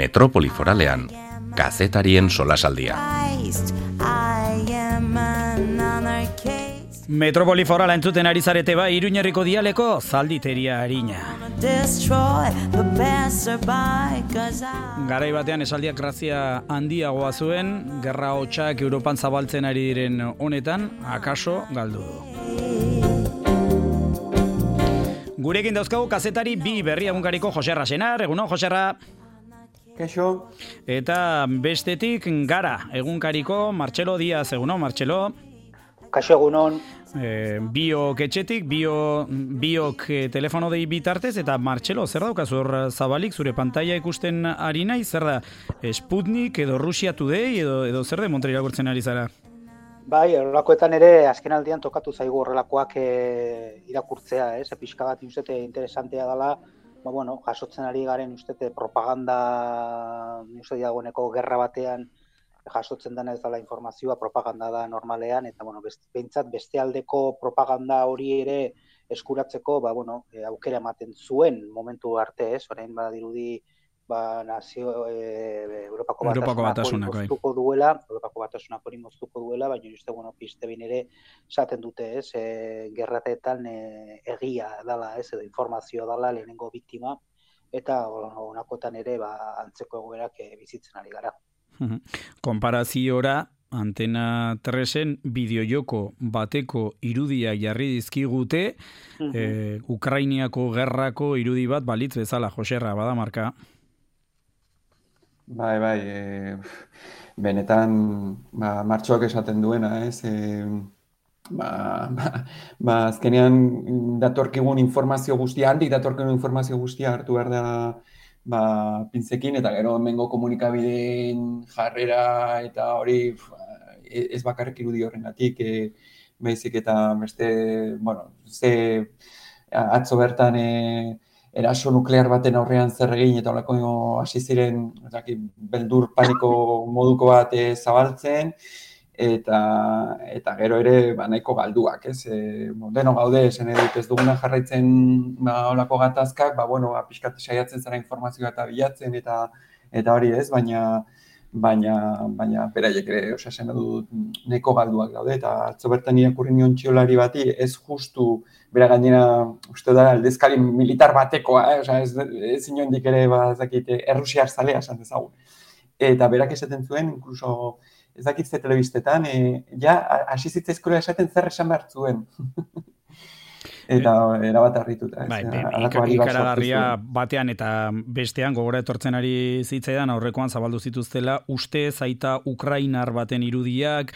Metropoli Foralean, kazetarien solasaldia. Metropoli Forala entzuten ari zarete bai, Iruñerriko dialeko zalditeria harina. Garai batean esaldiak grazia handiagoa zuen, gerra hotsak Europan zabaltzen ari diren honetan, akaso galdu du. Gurekin dauzkagu kazetari bi berri egunkariko Joserra Senar, egunon Joserra. Kaixo. Eta bestetik gara egunkariko Martxelo Diaz, egunon Martxelo. Kaixo egunon. Biok etxetik, biok telefono dei bitartez, eta Martxelo, zer daukazu hor zabalik, zure pantaila ikusten ari nahi, zer da, Sputnik edo Russia Today edo zer de Montreal irakurtzen ari zara? Bai, horrelakoetan ere azken aldian tokatu zaigu horrelakoak irakurtzea, pixka bat ustete interesantea dela, jasotzen ari garen ustete propaganda, dagoeneko gerra batean jasotzen dena ez dela informazioa, propaganda da normalean, eta behintzat beste aldeko propaganda hori ere eskuratzeko, aukera ematen zuen momentu arte, orain badirudi Europako Batasunak hori moztuko duela, baina uste, piste bin ere esaten dute, gerrateetan egia dela, edo informazioa dela lehenengo biktima, eta honakotan ere antzeko egoerak bizitzen ari gara. Konparaziora, Antena 3-en bideojoko bateko irudia jarri dizkigute, Ukrainiako gerrako irudi bat balitz bezala, Joserra, bada marka? Bai, benetan Martxoak esaten duena, azkenean datorkigun informazio guztia, handik datorkigun informazio guztia hartu behar da pintzekin, eta gero hemengo komunikabideen jarrera eta hori ez bakarrik irudi horrengatik, baizik eta beste, atzo bertan eraso nuklear baten aurrean zer egin eta holako hasi ziren beldur paniko moduko bat zabaltzen, eta gero ere nahiko galduak, deno gaude, esan edut ez duguna jarraitzen holako gatazkak, pixkat saiatzen zara informazioa eta bilatzen eta hori ez, baina beraiek ere, esan dut nahiko galduak daude, eta atzo bertan irakurri nion txiolari bati, ez justu, bera gainera, uste da, aldezkari militar batekoa, ez inondik ere, errusiar zalea, esan dezagun. Eta berak esaten zuen, inkluso, ez dakitze telebistetan, hasi zitzaizkola esaten zer esan behar zuen. Eta erabat harrituta. Ikaragarria batean eta bestean gogora etortzen ari zitzaidan aurrekoan zabaldu zituztela uste zaita Ukrainar baten irudiak,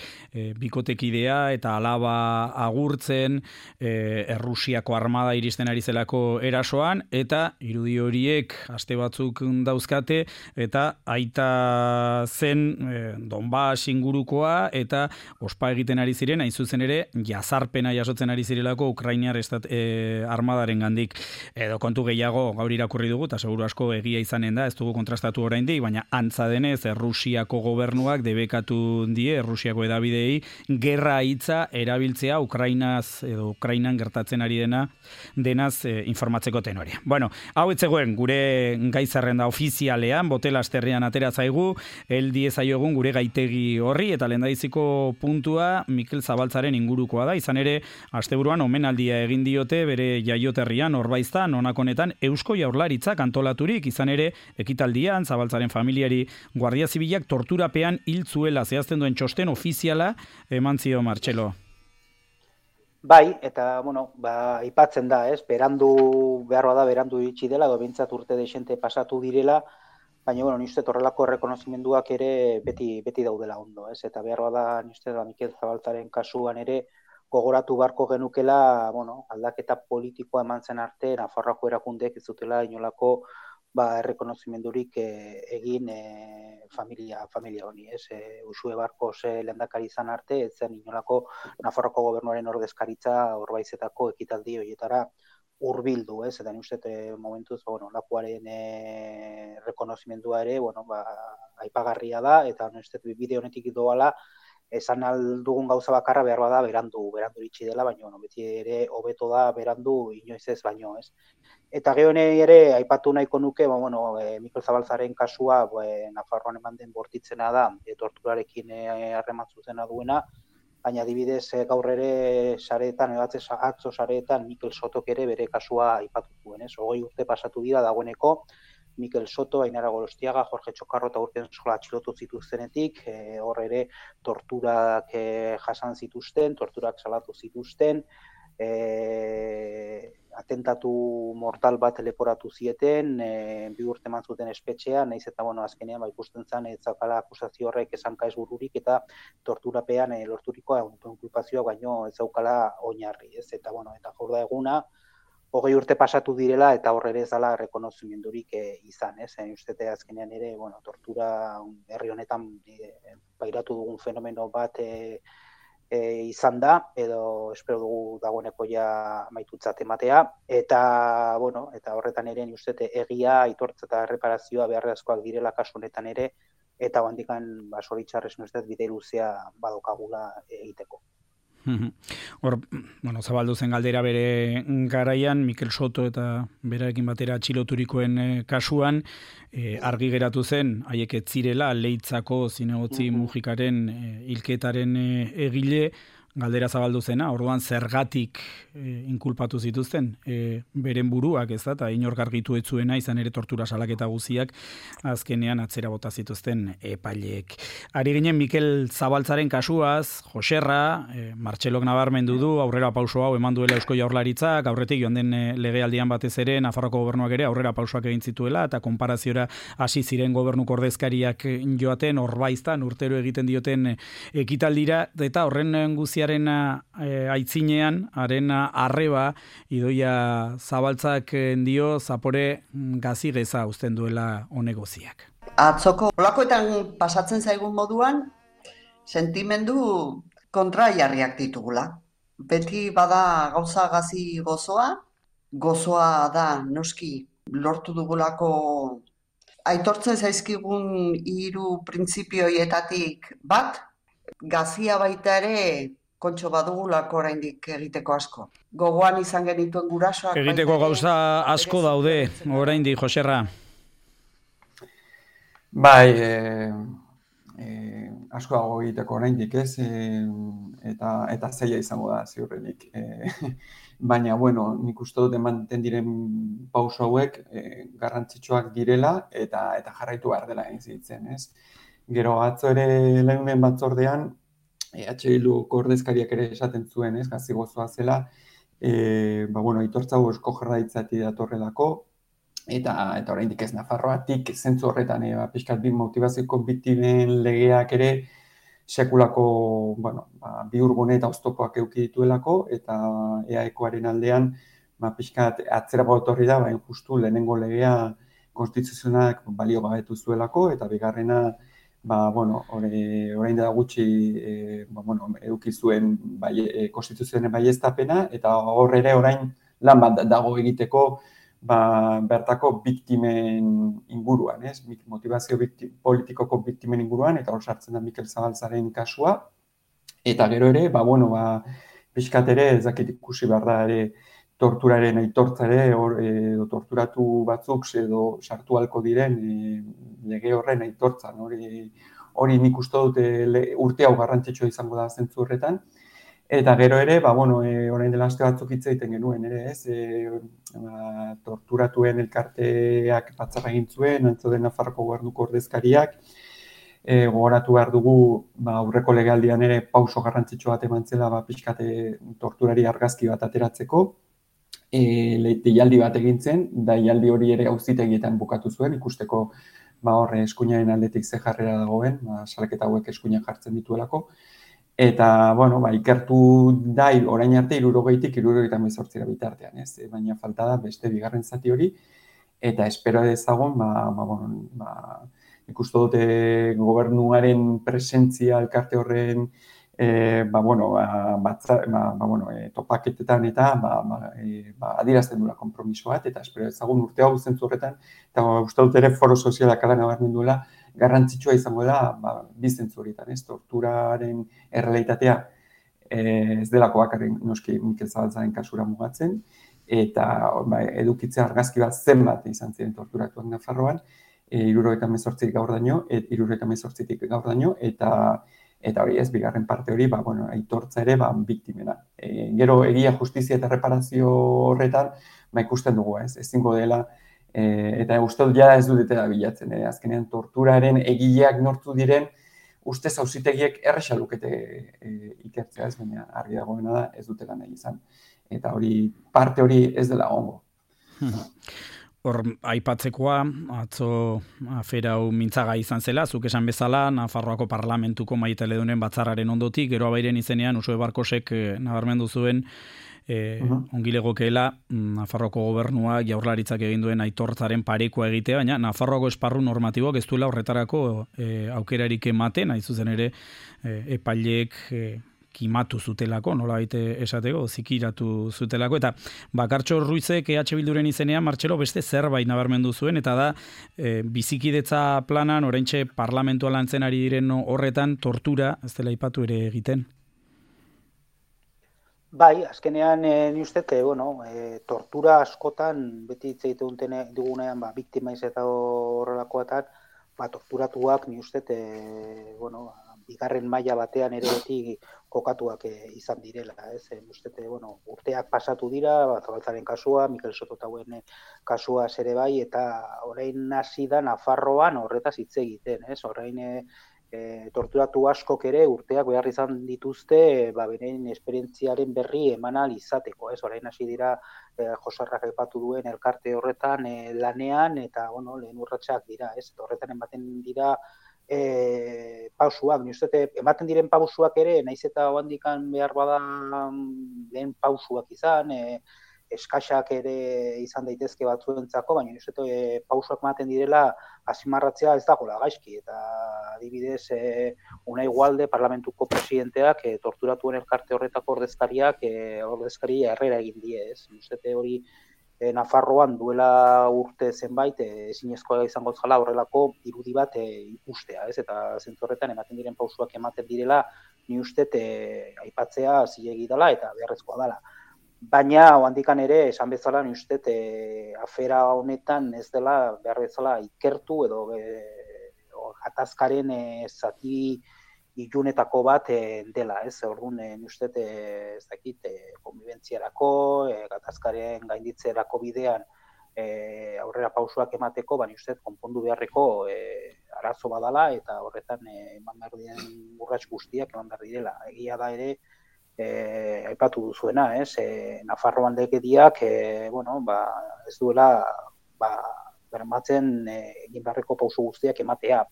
bikotekidea eta alaba agurtzen, Errusiako armada iristen ari zelako erasoan, eta irudi horiek aste batzuk dauzkate, eta aita zen Donbas ingurukoa, eta ospa egiten ari ziren, hain zuzen ere, jazarpena jasotzen ari zirelako Ukrainar armadaren gandik, edo kontu gehiago gaur irakurri dugu, eta seguru asko egia izanen da, ez dugu kontrastatu oraindik, baina antza denez, Errusiako gobernuak debekatu die, Errusiako edabidei, gerra hitza erabiltzea Ukrainan gertatzen ari denaz informatzeko tenorea. Bueno, hau etzegoen, gure gai zerrenda ofizialean, Botel-Asterrian atera zaigu, egun gure gaitegi horri, eta lehendabiziko puntua Mikel Zabaltzaren ingurukoa da, izan ere, asteburuan omenaldia egin diote bere jaioterrian Orbaiztan, honetan Eusko Jaurlaritzak antolaturik, izan ere ekitaldian Zabaltzaren familiari Guardia Zibilak torturapean hil zuela zehazten duen txosten ofiziala eman zio Martxelo. Bai, eta aipatzen da, berandu iritsi dela, edo behintzat urte desente pasatu direla, baina ni uste horrelako errekonozimenduak ere beti daudela ondo, eta behar da ni uste Mikel Zabaltzaren kasuan ere gogoratu beharko genukela, aldaketa politikoa eman zen arte, Nafarroako erakundeek ez zutela inolako errekonozimendurik egin familia honi, Uxue Barkos lehendakari izan arte, ez zen inolako Nafarroako gobernuaren ordezkaritza Orbaizetako ekitaldi horietara hurbildu, eta ni uste momentuz lakuaren rekonozimendua ere aipagarria da, eta ni uste bide honetik doala esan aldugun gauza bakarra behar bada berandu iritsi dela, baina bueno, beti ere hobeto da berandu inoiz ez baino, ez. Eta gero ere aipatu nahiko nuke, Mikel Zabaltzaren kasua, Nafarroan eman den bortitzena da, torturarekin harreman zuzena duena, baina adibidez gaur ere sareetan, atzo sareetan Mikel Sotok ere bere kasua aipatu zuen, ez? 20 urte pasatu dira dagoeneko, Mikel Soto, Ainara Gorostiaga, Jorge Txokarro eta Urtensola atxilotu zituztenetik, hor ere torturak jasan zituzten, torturak salatu zituzten, atentatu mortal bat leporatu zieten, 2 urte eman zuten espetxean, nahiz eta azkenean ikusten zen ez zakala akusazio horrek esanka ez bururik eta torturapean lorturiko inkulpazioa baino ez zaukala oinarri, ez? Eta eta gaur da eguna 20 urte pasatu direla eta hor ere ez dela errekonozimendurik izan, ez? Ustete azkenean ere, tortura herri honetan pairatu dugun fenomeno bat izan da, edo espero dugu dagoeneko ja amaitutzat ematea, eta horretan ere ustete egia, aitortza eta erreparazioa beharrezkoak direla kasu honetan ere, eta handikan zoritxarrez ustez bide luzea badokagula egiteko. Hor, zabaldu zen galdera bere garaian, Mikel Soto eta berarekin batera atxiloturikoen kasuan, argi geratu zen, haiek ez zirela Leitzako zinegotzi Mujikaren hilketaren egile, galdera zabaldu zena, orduan zergatik inkulpatu zituzten, beren buruak, ez da, eta inork argitu ez zuena, izan ere tortura salaketa guziak, azkenean atzera bota zituzten epaileek. Ari ginen Mikel Zabaltzaren kasuaz, Joserra, Martxelok nabarmendu du, aurrera pauso hau eman duela Eusko Jaurlaritzak, aurretik joan den legealdian batez ere, Nafarroko gobernuak ere aurrera pausoak egin zituela, eta konparaziora hasi ziren gobernuko ordezkariak joaten, horbaiztan, urtero egiten dioten ekitaldira, eta horren guziaren aitzinean, haren arreba, Idoia Zabaltzak dio zapore gazi geza uzten duela honegoziak. Atzoko olakoetan pasatzen zaigun moduan, sentimendu kontraiarriak ditugula. Beti bada gauza gazi gozoa da noski lortu dugulako aitortzen zaizkigun 3 printzipioietatik bat, gazia baita ere kontxo badugulako oraindik egiteko asko. Gogoan izan genituen gurasoak... Egiteko gauza asko daude, oraindik, Joserra. Bai, asko dago egiteko oraindik, ez? Eta zaila izango da, ziurrenik. Baina, nik uste dut ematen diren pauso hauek garrantzitsuak direla eta jarraitu behar dela egin ez? Gero atzo ere lehunen batzordean, Bilduko ordezkariak ere esaten zuen, ez, gazi gozoa zela, aitortza hau Eusko Jaurlaritzatik datorrelako, eta oraindik ez Nafarroatik, zentzu horretan, pixkat bi motibazioko biktimen legeak ere, sekulako, bihurgune eta oztopoak eduki dituelako, eta EAEkoaren aldean, pixkat atzera etorri da, justu lehenengo legea konstituzionalak balio gabetu zuelako, eta bigarrena, orain da gutxi eduki zuen konstituzioaren baieztapena, eta hor ere orain lan bat dago egiteko bertako biktimen inguruan, ez? Motivazio politikoko biktimen inguruan, eta hor sartzen da Mikel Zabaltzaren kasua, eta gero ere, pixkat ere, ez dakit ikusi behar da ere, torturaren aitortza ere, edo torturatu batzuk edo sartu halko diren lege horren aitortzan. Hori nik uste dut urte hau garrantzitsua izango da zentzu horretan. Eta gero ere, orain dela aste batzuk hitz egiten genuen ere, ez? Torturatuen elkarteak batzarra egin zuen, antzoden Nafarroko gobernuko ordezkariak. Gogoratu behar dugu, aurreko legealdian ere pauso garrantzitsu bat eman zela, pixkate torturari argazki bat ateratzeko. Deialdi bat egin zen, deialdi hori ere auzitegietan bukatu zuen, ikusteko horre eskuinaren aldetik ze jarrera dagoen, salaketa hauek eskuina jartzen dituelako. Eta, ikertu da, orain arte 60-tik 78 bitartean, ez? Baina falta da beste bigarren zati hori, eta espero dezagun, ikustu dute gobernuaren presentzia elkarte horren topaketetan eta adierazten duela konpromiso bat, eta espero ezagun urte hau zentzu horretan, eta uste dut ere foro sozialak ala nabarmen duela, garrantzitsua izango da, bi zentzu horietan, ez? Torturaren errealitatea ez delako bakarrik noski Mikel Zabaltzaren kasura mugatzen, eta edukitzea argazki bat zenbat izan ziren torturatuak Nafarroan, 78 gaur daño, eta hori ez, bigarren parte hori, aitortza ere, biktimena. Gero, egia, justizia eta reparazio horretan, ikusten dugu, ez, ezingo dela, eta uste dut ja ez dutela bilatzen, azkenean torturaren egileak nortu diren, ustez auzitegiek erresa lukete ikertzea, ez, baina argi dagoena da, ez dutela nahi izan. Eta hori, parte hori ez dela ongo. Hor, aipatzekoa, atzo afera hau mintzaga izan zela, zuk esan bezala, Nafarroako parlamentuko maitaledunen batzarraren ondotik, gero abairen izenean, Usue Barkosek nabarmendu zuen, ongilegokeela Nafarroako gobernua jaurlaritzak egin duen aitortzaren parekoa egitea, baina Nafarroako esparru normatiboak ez duela horretarako aukerarik ematen, hain zuzen ere epaileek kimatu zutelako, nola baite esateko, zikiratu zutelako, eta Bakartxo Ruizek EH Bilduren izenean, Martxelo, beste zerbait nabarmendu zuen, eta da, bizikidetza planan, oraintxe parlamentua lantzen ari diren horretan, tortura, ez dela aipatu ere egiten? Bai, azkenean ni uste, tortura askotan, beti hitz egiten dugunean, biktima eta horrelakoetan, torturatuak ni uste, bigarren maila batean ere beti kokatuak izan direla, ez? Uste, urteak pasatu dira, Zabaltzaren kasua, Mikel Sototauen kasua ere bai, eta orain hasi da Nafarroan horretaz hitz egiten, ez? Orain torturatu askok ere urteak behar izan dituzte, beren esperientziaren berri eman ahal izateko, ez? Orain hasi dira Josarrak aipatu duen elkarte horretan lanean, eta lehen urratsak dira, ez? Horretan ematen dira pausuak, ematen diren pausuak ere, naiz eta handikan behar bada lehen pausuak izan, eskaxak ere izan daitezke batzuentzako, baina pausuak ematen direla azimarratzea ez dagoela gaizki, eta adibidez Unai Gualde parlamentuko presidenteak torturatuen elkarte horretako ordezkaria errera egin die, ez? Hori Nafarroan duela urte zenbait ezinezkoa izango zela horrelako irudi bat ikustea, ez? Eta zentzu horretan ematen diren pausuak ematen direla, ni uste aipatzea zilegi dela eta beharrezkoa dela. Baina, handikan ere, esan bezala, ni uste afera honetan ez dela behar bezala ikertu edo gatazkaren zati ilunetako bat dela, ez? Orduan, ni uste ez dakit, konbibentziarako, gatazkaren gainditzerako bidean aurrera pausuak emateko, baina uste konpondu beharreko arazo badala eta horretan eman behar diren urrats guztiak eman behar direla. Egia da ere, aipatu duzuena, ez? Nafarroan legediak, ez duela bermatzen egin beharreko pausu guztiak ematea.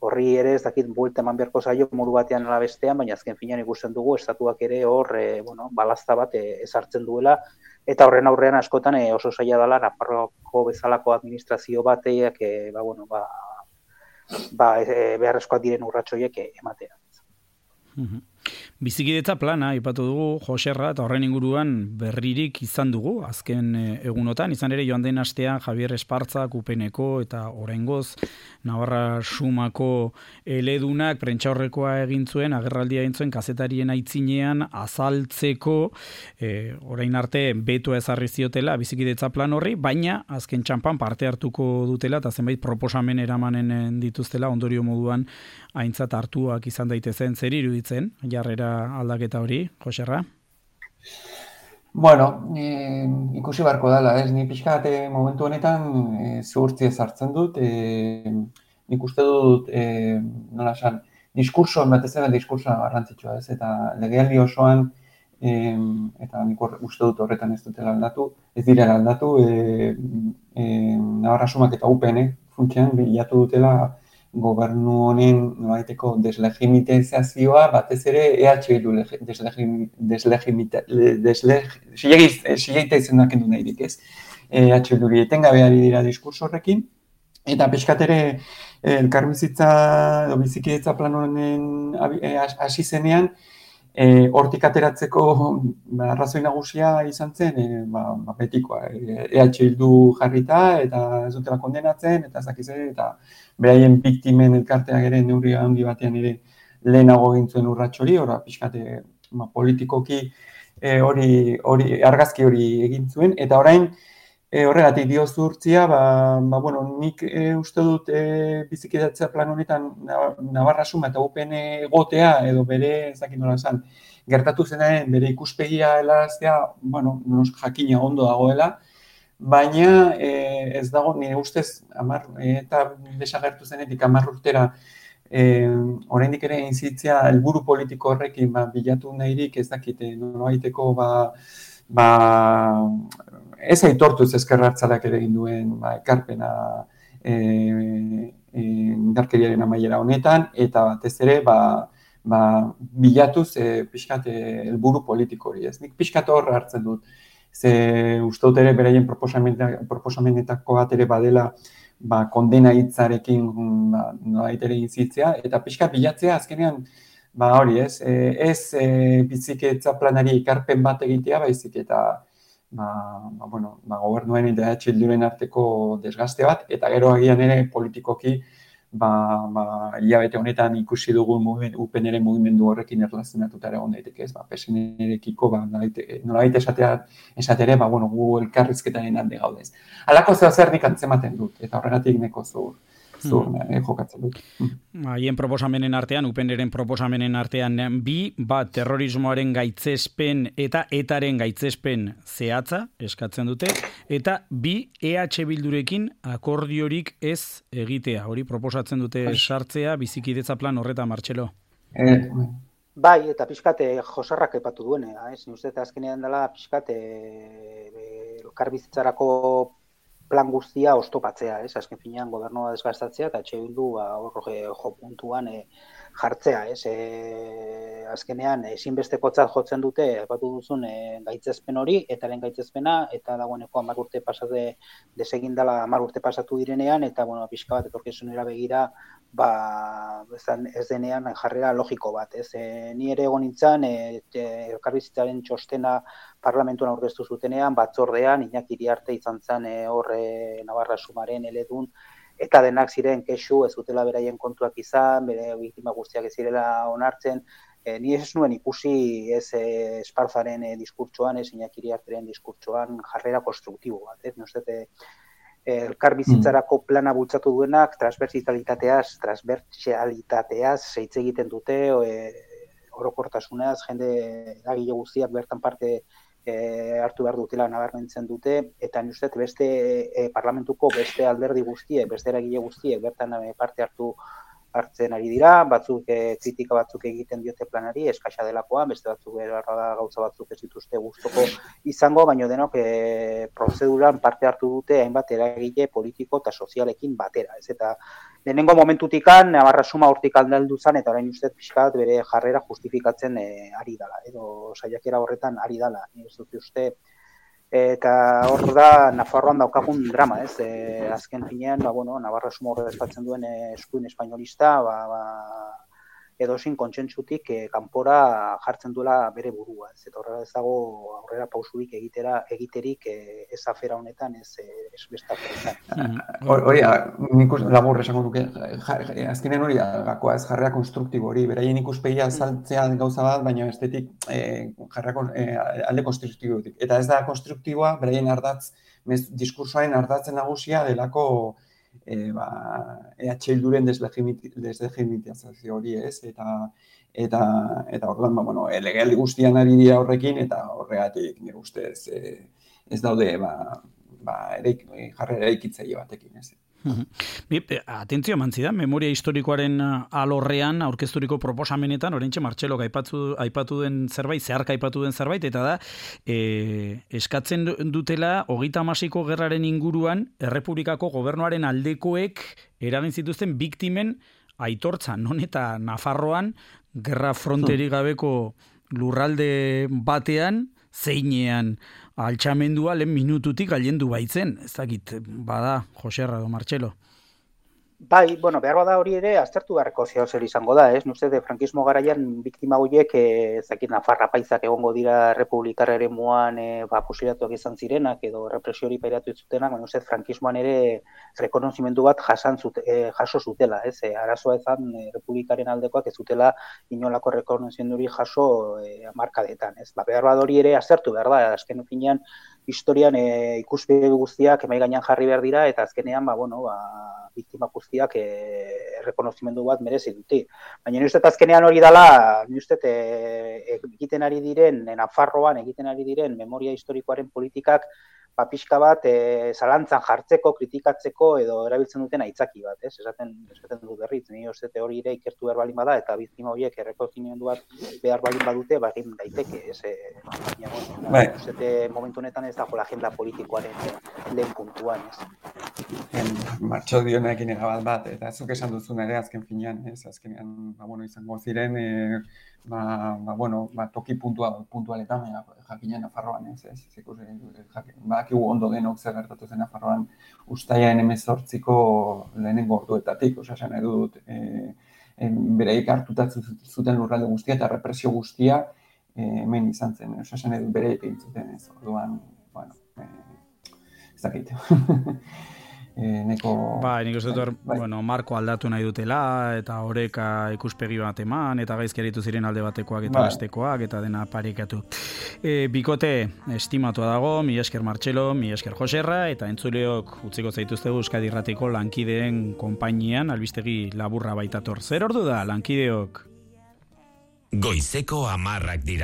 Horri ere ez dakit buelta eman beharko zaio modu batean ala bestean, baina azken finean ikusten dugu estatuak ere hor balazta bat ezartzen duela, eta horren aurrean askotan oso zaila dela Nafarroako bezalako administrazio bateak beharrezkoak diren urratsoiek ematea. Bizikidetza plana aipatu dugu Joserra, eta horren inguruan berririk izan dugu azken egunotan, izan ere joan den astean Javier Espartzak UPNeko eta oraingoz Navarra Sumako eledunak prentsaurrekoa egin zuen, agerraldia egin zuen kazetarien aitzinean azaltzeko orain arte betoa ezarri ziotela bizikidetza plan horri, baina azken txanpan parte hartuko dutela eta zenbait proposamen eramanen dituztela ondorio moduan aintzat hartuak izan daitezen. Zer iruditzen jarrera aldaketa hori, Joserra? Bueno, ikusi barko dela, ez? Ni pixka momentu honetan zuhurtzi ezartzen dut. Nik uste dut, nola esan, diskurso, batez ere diskursoa garrantzitsua, ez? Eta legealdi osoan, eta nik uste dut horretan ez dutela aldatu, ez direla aldatu, Navarra Sumak eta UPN funtsean bilatu dutela gobernu honen nolabaiteko deslegitimizazioa, batez ere EH Bildu sileita izenak endu nahirik, ez? EH Bilduri etengabe ari dira diskurso horrekin, eta pixkat ere elkarbizitza edo bizikidetza plan honen hasi zenean, Hortik ateratzeko arrazoi nagusia izan zen, betikoa, EH Bildu jarrita, eta ez dutela kondenatzen, eta ez dakize, eta beraien biktimen elkarteak ere neurri handi batean ere lehenago gintzuen urrats hori, pixkate politikoki hori argazki hori egin zuen, eta orain horregatik diozurtzia, nik uste dut bizikidatzea plan honetan Navarra Suma eta UPN egotea, edo bere, ez dakit nola esan, gertatu zenaren bere ikuspegia helaraztea, jakina ondo dagoela, baina ez dago, nire ustez, eta desagertu zenetik 10 urtera, oraindik ere inzitzea helburu politiko horrekin bilatu nahirik ez dakite nolabaiteko ez aitortuz ezker abertzaleak ere egin duen ekarpena indarkeriaren amaiera honetan, eta batez ere bilatuz pixkat helburu politiko hori. Nik pixkat hor hartzen dut. Ze uste dut ere beraien proposamenetako bat ere badela kondena hitzarekin nolabait ere inzitzea, eta pixkat bilatzea azkenean hori ez bizikidetza planari ekarpen bat egitea, baizik eta gobernuen eta EH Bilduren arteko desgaste bat, eta gero agian ere politikoki hilabete honetan ikusi dugu UPN-eren mugimendu horrekin erlazionatuta ere egon daiteke, PSN-erekiko nolabait esatere, gu elkarrizketaren alde gaudez. Halako zer nik antzematen dut, eta horregatik neko zur jokatzen dut. Haien proposamenen artean, UPN-eren proposamenen artean bat terrorismoaren gaitzespen eta etaren gaitzespen zehatza eskatzen dute, eta EH Bildurekin akordiorik ez egitea. Hori proposatzen dute sartzea bizikidetza plan horretan, Martxelo. Bai, eta pixkate Josarrak aipatu duenea, ni uste eta azkenean dela pixkate elkarbizitzarako plan guztia oztopatzea, azken finean gobernua desgastatzea, eta EH Bildu jo puntuan jartzea, azkenean ezinbestekotzat jotzen dute, aipatu duzun gaitzespen hori, etaren gaitzespena, eta dagoeneko 10 urte pasatu desegin dela 10 urte pasatu direnean, eta pixka bat etorkizunera begira, ez denean jarrera logiko bat, ni ere egon nintzen, elkarbizitzaren txostena parlamentuan aurkeztu zutenean, batzordean, Iñaki Iriarte izan zen Navarra Sumaren eledun, eta denak ziren kexu, ez dutela beraien kontuak izan, bere biktima guztiak ez zirela onartzen, ni ez nuen ikusi Esparzaren diskurtsoan, Iñaki Iriarteren diskurtsoan jarrera konstruktibo bat, elkarbizitzarako plana bultzatu duenak, transbertsialitateaz hitz egiten dute, orokortasunaz, jende eragile guztiak bertan parte hartu behar dutela nabarmentzen dute, eta ni uste beste parlamentuko beste alderdi guztiek, beste eragile guztiek bertan parte hartzen ari dira, batzuk kritika batzuk egiten diote planari, eskasa delakoa, beste batzuk gauza batzuk ez dituzte gustoko izango, baina denok prozeduran parte hartu dute hainbat eragile politiko eta sozialekin batera. Eta lehenengo momentutikan, Navarra Suma hortik aldeldu zen, eta orain uste pixkat bere jarrera justifikatzen ari dela, edo saiakera horretan ari dela, ez dut uste. Eta hor da, Nafarroan daukagun drama, azken finean, Navarra Suma ordezkatzen duen eskuin espainolista, edozin kontsentsutik kanpora jartzen duela bere burua. Eta horrela ez dago aurrera pausurik egiterik ez afera honetan, ez beste aferetan. Hori, nik labur esango duke, azkenen hori gakoa ez jarrera konstruktibo hori, beraien ikuspegia saltzean gauza bat, baina estetik jarrera alde konstruktibotik. Eta ez da konstruktiboa, beraien diskursoaren ardatzen nagusia delako EH Bilduren deslegitimizazio hori ez, eta orduan, legealdi guztian ari dira horrekin, eta horregatik nire ustez ez daude jarrera eraikitzaile batekin ez. Atentzio mantzidan, memoria historikoaren alorrean aurkezturiko proposamenetan, oraintxe Martxelok aipatu den zerbait, zeharka aipatu den zerbait, eta da, eskatzen dutela 36ko gerraren inguruan Errepublikako gobernuaren aldekoek eragin zituzten biktimen aitortza, non eta Nafarroan gerra fronterik gabeko lurralde batean, zeinean altxamendua lehen minututik gailendu baitzen. Ez dakit, bada, Joserra edo Martxelo. Bai, bueno, behar bada hori ere aztertu beharreko zer izango da, ez? Uste de frankismo garaian biktima horiek ezakit Nafarra paizak egongo dira republikar eremuan fusilatuak izan zirenak edo represio hori pairatu zutenak, baina uste frankismoan ere rekonozimendu bat jaso zutela, ez? Arazoa ezan republikaren aldekoak ez zutela inolako rekonozimendu hori jaso hamarkadetan, ez? Behar bada hori ere aztertu behar da, azken finean historian ikuspegi guztiak emai gainean jarri behar dira eta azkenean biktima guztiak errekonozimendu bat merezi dute. Baina ni uste azkenean hori dela, ni uste egiten ari diren, Nafarroan egiten ari diren memoria historikoaren politikak pixka bat zalantzan jartzeko, kritikatzeko edo erabiltzen duten aitzaki bat, ez? Esaten du berriz, ni uste hori ere ikertu behar balin bada eta biktima horiek errekonozimendu bat behar balin badute, egin daiteke, ez? Baina, uste momentu honetan ez dago agenda politikoaren lehen puntuan, ez? Martxo dionekin bat, eta zuk esan duzun ere azken finean, ez? Azkenean, izango ziren, toki puntualetan, jakinen Nafarroan, ez? Badakigu ondo denok zer gertatu zen Nafarroan uztailaren 18ko lehenengo orduetatik, esan nahi dut, bereik hartuta zuten lurralde guztia eta represio guztia hemen izan zen, esan nahi dut bereik egin zuten, ez? Orduan, ez dakit. Nik uste dut, marko aldatu nahi dutela, eta horreka ikuspegi bat eman, eta gaizki aritu ziren alde batekoak eta bestekoak, eta dena parekatu. Bikote, estimatua dago, mi esker Martxelo, mi esker Joserra, eta entzuleok utziko zaituztegu Euskadi Irratiko lankideen konpainian, albistegi laburra baitator. Zer ordu da, lankideok? Goizeko 10 dira.